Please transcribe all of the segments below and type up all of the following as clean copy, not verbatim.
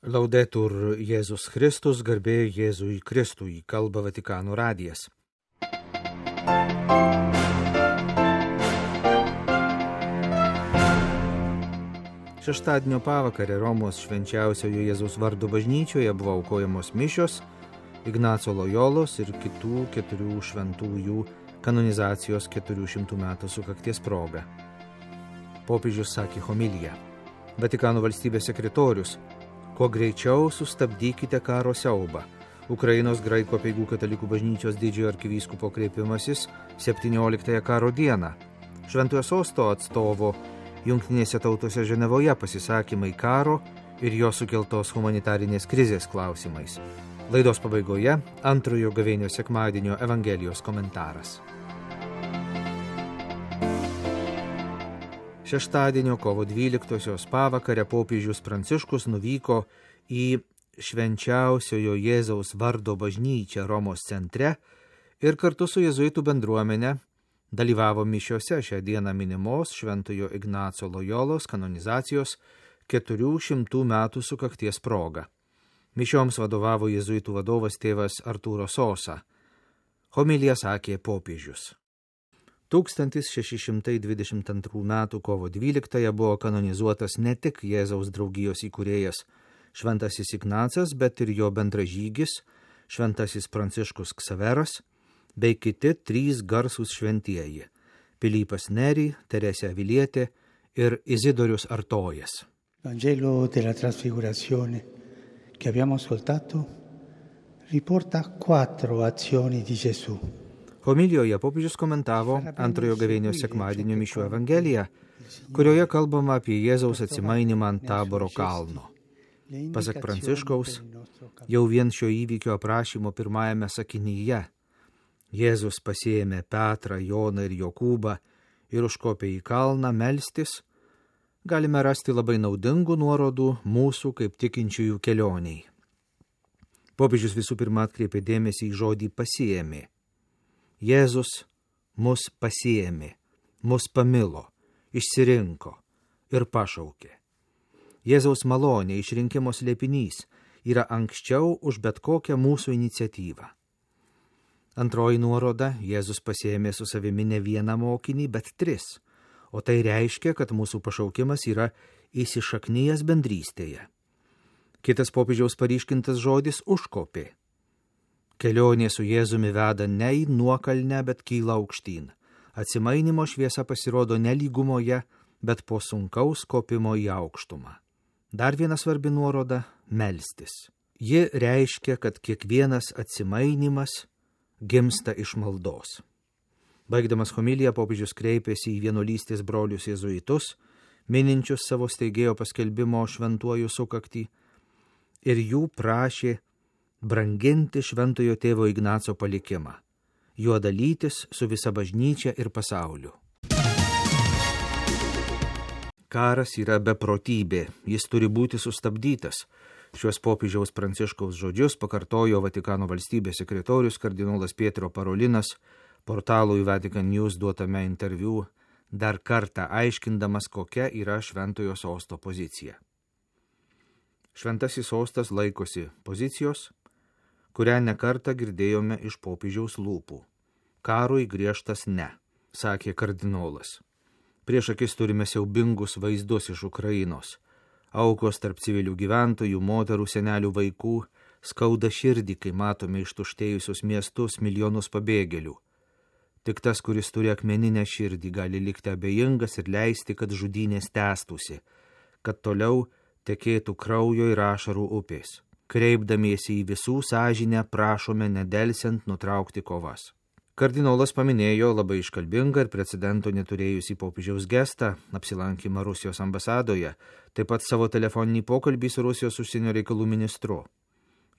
Laudetur Jėzus Kristus, garbė Jėzui Kristui, kalba Vatikano radijas. Šeštadienio pavakarę Romos švenčiausiojo Jėzaus vardo bažnyčioje buvo aukojamos mišios Ignaco Lojolos ir kitų 4 šventųjų kanonizacijos 400 metų sukakties proga. Popiežius sakė homiliją. Vatikano valstybės sekretorius: kuo greičiau sustabdykite karo siaubą. Ukrainos graikų apeigų katalikų bažnyčios didžiojo arkivyskupo kreipimasis 17 karo dieną. Šventojo sosto atstovo Jungtinėse tautose Ženevoje pasisakymai karo ir jo sukeltos humanitarinės krizės klausimais. Laidos pabaigoje antrojo gavėnio sekmadienio Evangelijos komentaras. Šeštadienio kovo 12 pavakarę popiežius Pranciškus nuvyko į švenčiausiojo Jėzaus vardo bažnyčią Romos centre ir kartu su jėzuitų bendruomenė dalyvavo mišiose šią dieną minimos Šventojo Ignaco Lojolos kanonizacijos 400 metų sukakties proga. Mišioms vadovavo jėzuitų vadovas tėvas Artūro Sosa. Homiliją sakė popiežius. 1622 m. kovo 12 buvo kanonizuotas ne tik Jėzaus draugijos įkūrėjas Šventasis Ignacas, bet ir jo bendražygis Šventasis Pranciškus Ksaveras bei kiti 3 garsūs šventieji – Pilypas Neri, Teresė Avilietė ir Izidorius Artojas. Vangelo della Trasfigurazione che abbiamo ascoltato riporta 4 azioni di Gesù. Homilijoje popiežius komentavo antrojo gavėnio sekmadienio mišių Evangeliją, kurioje kalbama apie Jėzaus atsimainimą ant Taboro kalno. Pasak Pranciškaus, jau vien šio įvykio aprašymo pirmajame sakinyje Jėzus pasiėmė Petrą, Joną ir Jokūbą ir užkopė į kalną melstis, galime rasti labai naudingų nuorodų mūsų kaip tikinčiųjų kelioniai. Popiežius visų pirma atkreipė dėmesį į žodį pasiėmė. Jėzus mus pasiėmė, mus pamilo, išsirinko ir pašaukė. Jėzaus malonė, išrinkimo slėpinys, yra anksčiau už bet kokią mūsų iniciatyvą. Antroji nuoroda: Jėzus pasiėmė su savimi ne vieną mokinį, bet 3, o tai reiškia, kad mūsų pašaukimas yra įsišaknyjęs bendrystėje. Kitas popiežiaus paryškintas žodis – užkopė. Kelionė su Jėzumi veda ne į nuokalnę, bet kyla aukštyn. Atsimainimo šviesa pasirodo ne lygumoje, bet po sunkaus kopimo į aukštumą. Dar viena svarbi nuoroda – melstis. Ji reiškia, kad kiekvienas atsimainimas gimsta iš maldos. Baigdamas homiliją, popiežius kreipėsi į vienuolystės brolius jėzuitus, mininčius savo steigėjo paskelbimo šventuoju sukaktį, ir jų prašė branginti šventojo tėvo Ignaco palikimą, juo dalytis su visa bažnyčia ir pasauliu. Karas yra beprotybė, jis turi būti sustabdytas. Šiuos popiežiaus Pranciškaus žodžius pakartojo Vatikano valstybės sekretorius kardinolas Pietro Parolinas portalui Vatican News duotame interviu, dar kartą aiškindamas, kokia yra šventojo sosto pozicija. Šventasis sostas laikosi pozicijos, kurią nekartą girdėjome iš popiežiaus lūpų. Karui griežtas ne, sakė kardinolas. Prieš akis turime siaubingus vaizdus iš Ukrainos. Aukos tarp civilių gyventojų, moterų, senelių, vaikų, skauda širdį, kai matome ištuštėjusius miestus, milijonus pabėgėlių. Tik tas, kuris turi akmeninę širdį, gali likti abejingas ir leisti, kad žudynės tęstųsi, kad toliau tekėtų kraujo ir ašarų upės. Kreipdamiesi į visų sąžinę, prašome nedelsiant nutraukti kovas. Kardinolas paminėjo labai iškalbingą ir precedento neturėjusį popiežiaus gestą, apsilankymą Rusijos ambasadoje, taip pat savo telefoninį pokalbį su Rusijos užsienio reikalų ministru.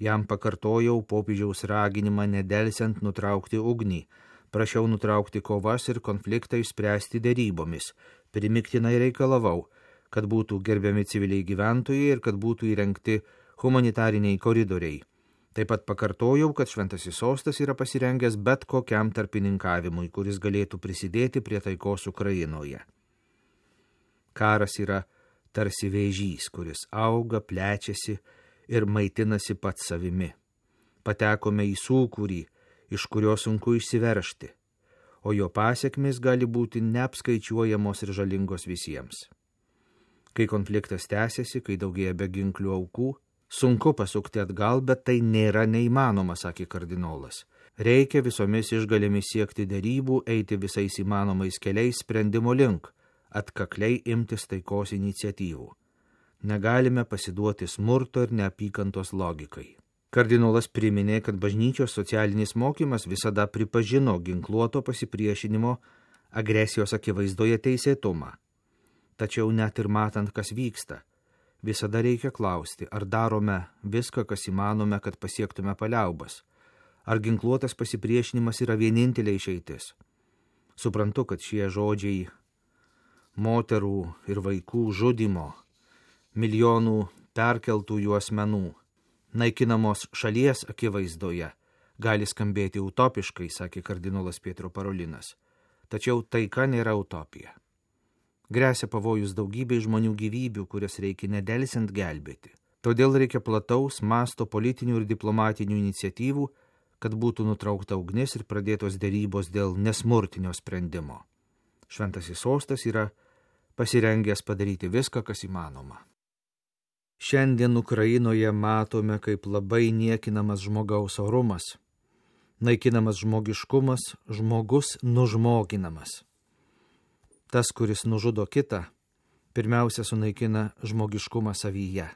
Jam pakartojau popiežiaus raginimą nedelsiant nutraukti ugnį, prašiau nutraukti kovas ir konfliktą išspręsti derybomis, primiktinai reikalavau, kad būtų gerbiami civiliai gyventojai ir kad būtų įrengti humanitariniai koridoriai. Taip pat pakartojau, kad šventasis sostas yra pasirengęs bet kokiam tarpininkavimui, kuris galėtų prisidėti prie taikos Ukrainoje. Karas yra tarsi vėžys, kuris auga, plečiasi ir maitinasi pats savimi. Patekome į sūkurį, iš kurio sunku išsiveržti, o jo pasekmės gali būti neapskaičiuojamos ir žalingos visiems. Kai konfliktas tęsiasi, kai daugėja beginklių aukų, sunku pasukti atgal, bet tai nėra neįmanoma, sakė kardinolas. Reikia visomis išgalėmis siekti derybų, eiti visais įmanomais keliais sprendimo link, atkakliai imtis taikos iniciatyvų. Negalime pasiduoti smurto ir neapykantos logikai. Kardinolas priminė, kad bažnyčios socialinis mokymas visada pripažino ginkluoto pasipriešinimo agresijos akivaizdoje teisėtumą. Tačiau net ir matant, kas vyksta, visada reikia klausti, ar darome viską, kas įmanome, kad pasiektume paliaubas. Ar ginkluotas pasipriešinimas yra vienintelė išeitis? Suprantu, kad šie žodžiai moterų ir vaikų žudimo, milijonų perkeltųjų asmenų, naikinamos šalies akivaizdoje, gali skambėti utopiškai, sakė kardinolas Pietro Parolinas. Tačiau taika nėra utopija. Gresia pavojus daugybei žmonių gyvybių, kurias reikia nedelsiant gelbėti. Todėl reikia plataus masto politinių ir diplomatinių iniciatyvų, kad būtų nutraukta ugnis ir pradėtos derybos dėl nesmurtinio sprendimo. Šventasis sostas yra pasirengęs padaryti viską, kas įmanoma. Šiandien Ukrainoje matome, kaip labai niekinamas žmogaus orumas, naikinamas žmogiškumas, žmogus nužmoginamas. Tas, kuris nužudo kitą, pirmiausia sunaikina žmogiškumą savyje,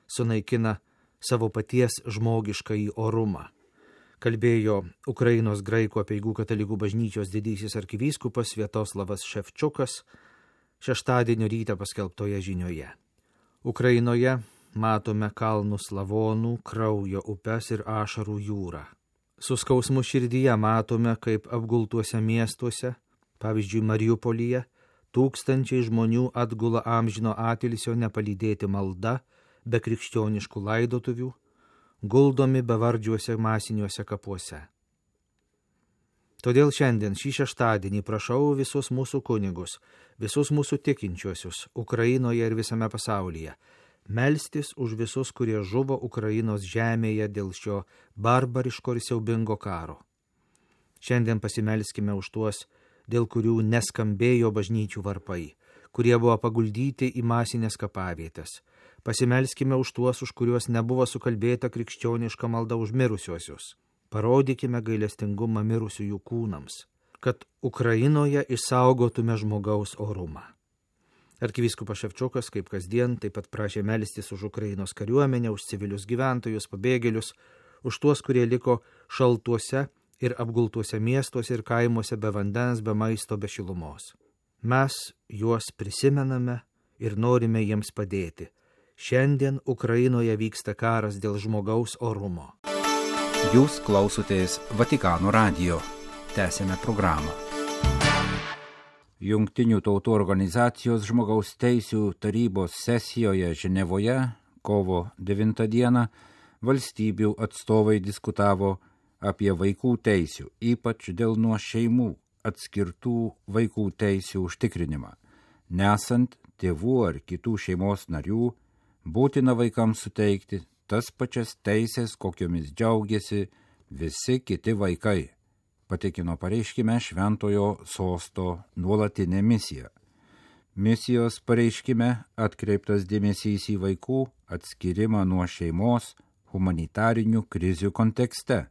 sunaikina savo paties žmogiškąjį orumą. Kalbėjo Ukrainos graikų apeigų katalikų bažnyčios didysis arkivyskupas Sviatoslavas Ševčiukas šeštadienio rytą paskelbtoje žinioje. Ukrainoje matome kalnus lavonų, kraujo upes ir ašarų jūrą. Su skausmu širdyje matome, kaip apgultuose miestuose, pavyzdžiui Mariupolyje, tūkstančiai žmonių atgula amžino atilsio nepalydėti malda, be krikščioniškų laidotuvių, guldomi bevardžiuose masiniuose kapuose. Todėl šiandien šį šeštadienį prašau visus mūsų kunigus, visus mūsų tikinčiuosius Ukrainoje ir visame pasaulyje, melstis už visus, kurie žuvo Ukrainos žemėje dėl šio barbariško ir siaubingo karo. Šiandien pasimelskime už tuos, dėl kurių neskambėjo bažnyčių varpai, kurie buvo paguldyti į masinės kapavietės. Pasimelskime už tuos, už kuriuos nebuvo sukalbėta krikščioniška malda už mirusiuosius. Parodykime gailestingumą mirusiųjų kūnams, kad Ukrainoje išsaugotume žmogaus orumą. Arkivyskupas Ševčiukas, kaip kasdien, taip pat prašė melstis už Ukrainos kariuomenę, už civilius gyventojus, pabėgėlius, už tuos, kurie liko šaltuose ir apgultuose miestuose ir kaimuose be vandens, be maisto, be šilumos. Mes juos prisimename ir norime jiems padėti. Šiandien Ukrainoje vyksta karas dėl žmogaus orumo. Jūs klausotės Vatikano radijo. Tęsėme programą. Jungtinių tautų organizacijos žmogaus teisių tarybos sesijoje Ženevoje kovo 9 dieną valstybių atstovai diskutavo apie vaikų teisių, ypač dėl nuo šeimų atskirtų vaikų teisių užtikrinimą. Nesant tėvų ar kitų šeimos narių, būtina vaikams suteikti tas pačias teisės, kokiomis džiaugiasi visi kiti vaikai, patikino pareiškime Šventojo sosto nuolatinė misija. Misijos pareiškime atkreiptas dėmesys į vaikų atskirimą nuo šeimos humanitarinių krizių kontekste,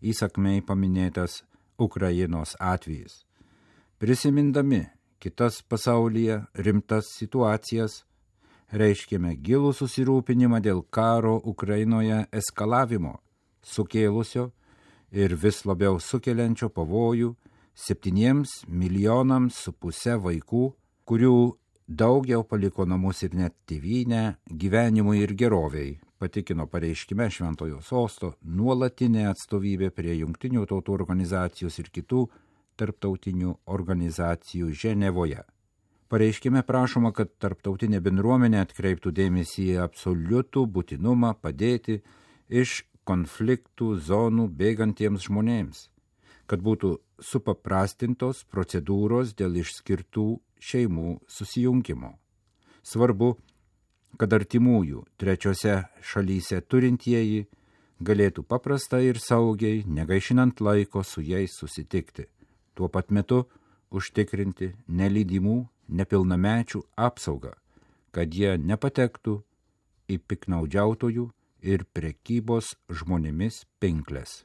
įsakmiai paminėtas Ukrainos atvejis. Prisimindami kitas pasaulyje rimtas situacijas, reiškėme gilų susirūpinimą dėl karo Ukrainoje eskalavimo, sukėlusio ir vis labiau sukeliančio pavojų 7,5 milijonams vaikų, kurių daugiau paliko namus ir net tėvynę gyvenimui ir geroviai, patikino pareiškime Šventojo sosto nuolatinė atstovybė prie Jungtinių tautų organizacijos ir kitų tarptautinių organizacijų Ženevoje. Pareiškime prašoma, kad tarptautinė bendruomenė atkreiptų dėmesį į absoliutų būtinumą padėti iš konfliktų zonų bėgantiems žmonėms, kad būtų supaprastintos procedūros dėl išskirtų šeimų susijungimo. Svarbu, kad artimųjų trečiose šalyse turintieji galėtų paprastai ir saugiai, negaišinant laiko su jais susitikti. Tuo pat metu užtikrinti nelydimų, nepilnamečių apsaugą, kad jie nepatektų į piknaudžiautojų ir prekybos žmonėmis pinkles.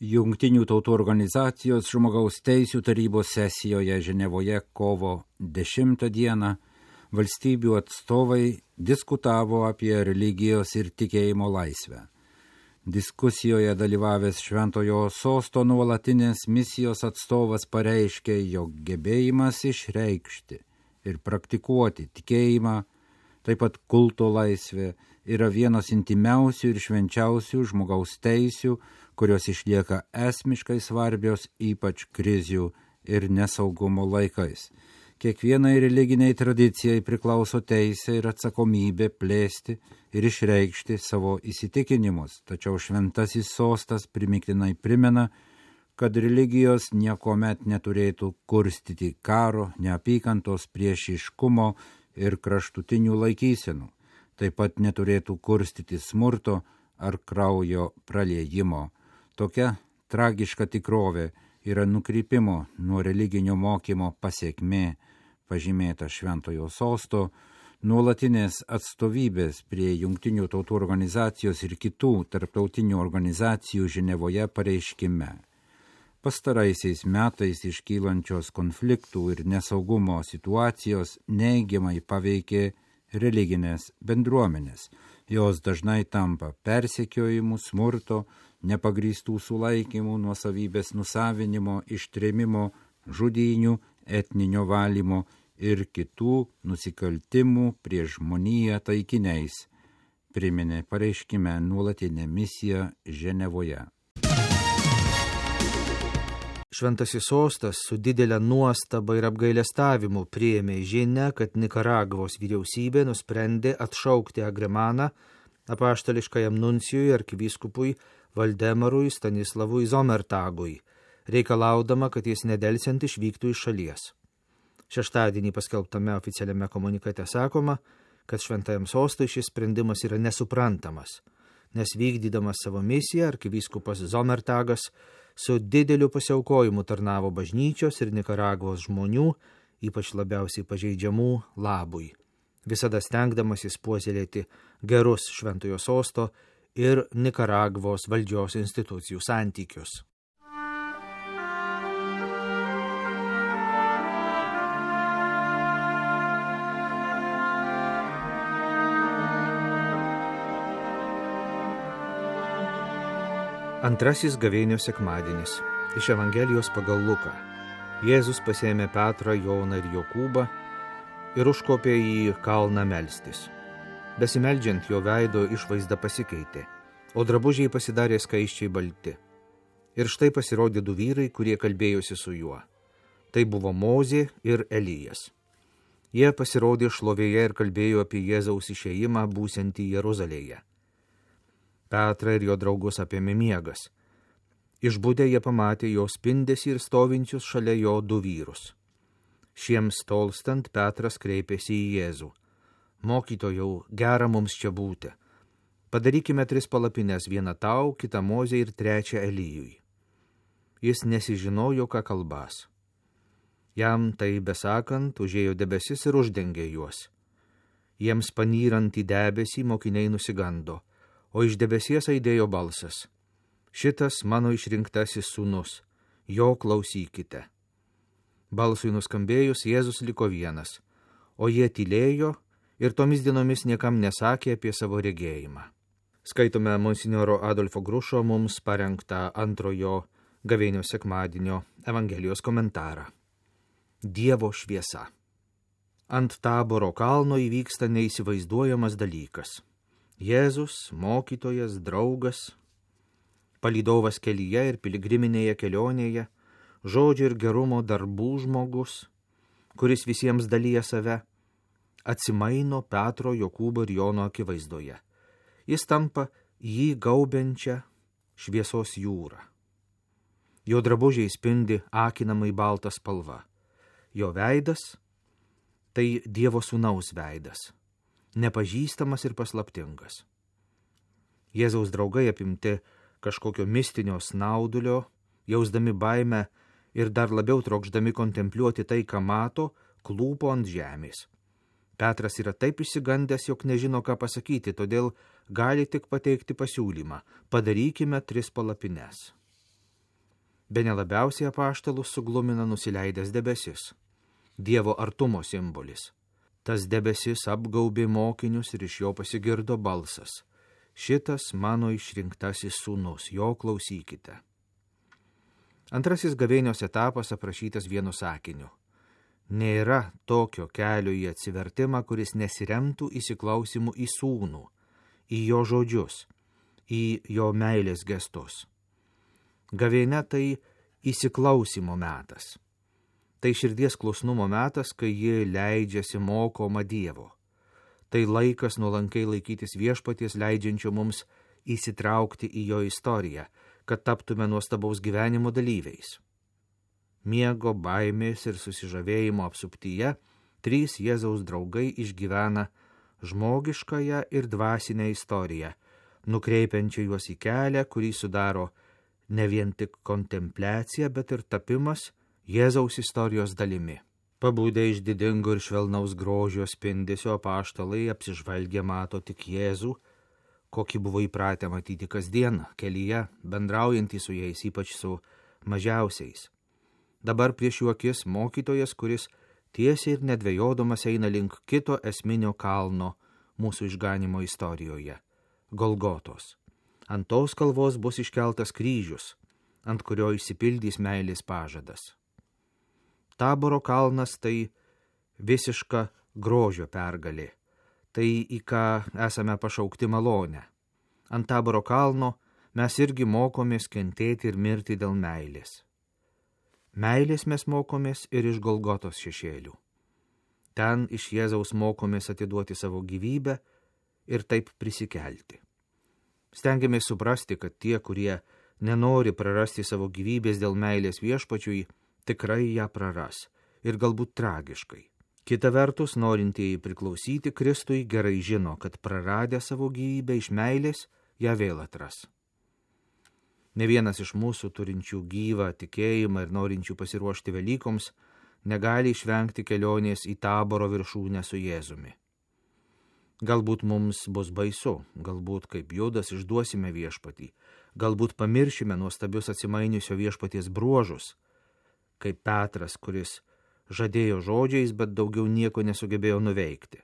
Jungtinių tautų organizacijos žmogaus teisių tarybos sesijoje Ženevoje kovo 10 dieną valstybių atstovai diskutavo apie religijos ir tikėjimo laisvę. Diskusijoje dalyvavęs Šventojo Sosto nuolatinės misijos atstovas pareiškė, jog gebėjimas išreikšti ir praktikuoti tikėjimą, taip pat kulto laisvė, yra vienos intimiausių ir švenčiausių žmogaus teisių, kurios išlieka esmiškai svarbios ypač krizių ir nesaugumo laikais. Kiekvienai religiniai tradicijai priklauso teisė ir atsakomybė plėsti ir išreikšti savo įsitikinimus, tačiau Šventasis Sostas primiktinai primena, kad religijos niekuomet neturėtų kurstyti karo, neapykantos, priešiškumo ir kraštutinių laikysenų, taip pat neturėtų kurstyti smurto ar kraujo praliejimo. Tokia tragiška tikrovė yra nukrypimo nuo religinio mokymo pasekmė, pažymėta Šventojo Sosto, nuolatinės atstovybės prie Jungtinių tautų organizacijos ir kitų tarptautinių organizacijų Ženevoje pareiškime. Pastaraisiais metais iškylančios konfliktų ir nesaugumo situacijos neigiamai paveikė religinės bendruomenės. Jos dažnai tampa persekiojimų, smurto, nepagrįstų sulaikymų, nuosavybės nusavinimo, ištrėmimo, žudynių, etninio valymo ir kitų nusikaltimų prieš žmoniją taikiniais, priminė pareiškime nuolatinė misija Ženevoje. Šventasis Sostas su didelė nuostaba ir apgailestavimu priėmė žinią, kad Nikaragvos vyriausybė nusprendė atšaukti agremaną apaštališkajam nuncijui arkivyskupui Valdemarui Stanislavui Zomertagui, reikalaudama, kad jis nedelsiant išvyktų iš šalies. Šeštadienį paskelbtame oficialiame komunikate sakoma, kad Šventajam Sostui šis sprendimas yra nesuprantamas, nes vykdydamas savo misiją arkivyskupas Zomertagas su dideliu pasiaukojimu tarnavo bažnyčios ir Nikaragvos žmonių, ypač labiausiai pažeidžiamų, labui, visada stengdamasis puoselėti gerus Šventojo Sosto ir Nikaragvos valdžios institucijų santykius. Antrasis gavėnių sekmadienis iš Evangelijos pagal Luką. Jėzus pasėmė Petrą, Joną ir Jokūbą ir užkopė į kalną melstis. Besimeldžiant jo veido išvaizda pasikeitė, o drabužiai pasidarė skaisčiai balti. Ir štai pasirodė du vyrai, kurie kalbėjosi su juo. Tai buvo Mozė ir Elijas. Jie pasirodė šlovėje ir kalbėjo apie Jėzaus išėjimą būsiantį Jeruzalėje. Petrą ir jo draugus apėmė miegas. Išbudę jie pamatė jo spindesį ir stovinčius šalia jo du vyrus. Šiems tolstant Petras kreipėsi į Jėzų. Mokytojau, gera mums čia būti. Padarykime 3 palapines, vieną tau, kitą Mozei ir 3 Elijui. Jis nesižinojo, ką kalbas. Jam tai besakant, užėjo debesis ir uždengė juos. Jiems panyrant į debesį mokiniai nusigando, o iš debesies aidėjo balsas. Šitas mano išrinktasis sūnus, jo klausykite. Balsui nuskambėjus, Jėzus liko vienas, o jie tylėjo ir tomis dienomis niekam nesakė apie savo regėjimą. Skaitome monsinjoro Adolfo Grušo mums parengtą antrojo gavėnių sekmadienio Evangelijos komentarą. Dievo šviesa. Ant Taboro kalno įvyksta neįsivaizduojamas dalykas. Jėzus, mokytojas, draugas, palydovas kelyje ir piligriminėje kelionėje, žodžio ir gerumo darbų žmogus, kuris visiems dalyja save, atsimaino Petro, Jokūbo ir Jono akivaizdoje. Jis tampa jį gaubiančią šviesos jūrą. Jo drabužiai spindi akinamai balta spalva. Jo veidas Tai Dievo sūnaus veidas, nepažįstamas ir paslaptingas. Jėzaus draugai apimti kažkokio mistinio snaudulio, jausdami baimę ir dar labiau trokšdami kontempliuoti tai, ką mato, klūpo ant žemės. Petras yra taip išsigandęs, jog nežino, ką pasakyti, todėl gali tik pateikti pasiūlymą – padarykime 3 palapines. Bene labiausiai apaštalus suglumina nusileidęs debesis, Dievo artumo simbolis. Tas debesis apgaubė mokinius ir iš jo pasigirdo balsas. Šitas mano išrinktasis sūnus, jo klausykite. Antrasis gavėnios etapas aprašytas vienu sakiniu. Nėra tokio kelio į atsivertimą, kuris nesiremtų įsiklausimu į sūnų, į jo žodžius, į jo meilės gestus. Gavėnia tai įsiklausimo metas. Tai širdies klusnumo metas, kai ji leidžiasi mokoma Dievo. Tai laikas nuolankiai laikytis viešpaties, leidžiančio mums įsitraukti į jo istoriją, kad taptume nuostabaus gyvenimo dalyviais. Miego, baimės ir susižavėjimo apsuptyje 3 Jėzaus draugai išgyvena žmogiškąją ir dvasinę istoriją, nukreipiančią juos į kelią, kurį sudaro ne vien tik kontempliacija, bet ir tapimas Jėzaus istorijos dalimi. Pabudę iš didingo ir švelnaus grožio spindesio, apaštalai apsižvalgę mato tik Jėzų, kokį buvo įpratę matyti kasdien kelyje, bendraujantį su jais, ypač su mažiausiais. Dabar prieš jų akis mokytojas, kuris tiesiai ir nedvejodamas eina link kito esminio kalno mūsų išganimo istorijoje – Golgotos. Ant tos kalvos bus iškeltas kryžius, ant kurio išsipildys meilės pažadas. Taboro kalnas tai visiška grožio pergalė, tai į ką esame pašaukti malonę. Ant Taboro kalno mes irgi mokomės kentėti ir mirti dėl meilės. Meilės mes mokomės ir iš Golgotos šešėlių. Ten iš Jėzaus mokomės atiduoti savo gyvybę ir taip prisikelti. Stengiamės suprasti, kad tie, kurie nenori prarasti savo gyvybės dėl meilės viešpačiui, tikrai ją praras ir galbūt tragiškai. Kita vertus, norintieji priklausyti Kristui gerai žino, kad praradę savo gyvybę iš meilės, ją vėl atras. Ne vienas iš mūsų turinčių gyvą tikėjimą ir norinčių pasiruošti Velykoms negali išvengti kelionės į Taboro viršūnę su Jėzumi. Galbūt mums bus baisu, galbūt kaip Judas išduosime viešpatį, galbūt pamiršime nuostabius atsimainiusio viešpaties bruožus, kaip Petras, kuris žadėjo žodžiais, bet daugiau nieko nesugebėjo nuveikti.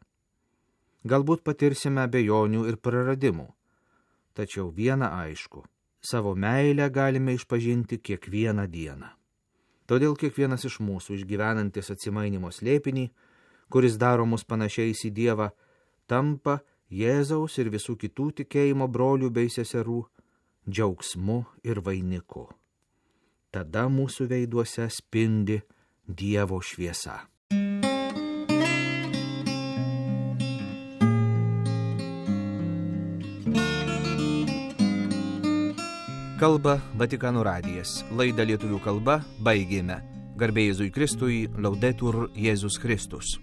Galbūt patirsime abejonių ir praradimų, tačiau viena aišku – savo meilę galime išpažinti kiekvieną dieną. Todėl kiekvienas iš mūsų išgyvenantis atsimainimo slėpinį, kuris daro mus panašiais į Dievą, tampa Jėzaus ir visų kitų tikėjimo brolių bei seserų džiaugsmu ir vainiku. Tada mūsų veiduose spindi Dievo šviesa. Kalba Vatikano radijas. Laidą lietuvių kalba baigėme. Garbė Jėzui Kristui, Laudetur Jėzus Kristus.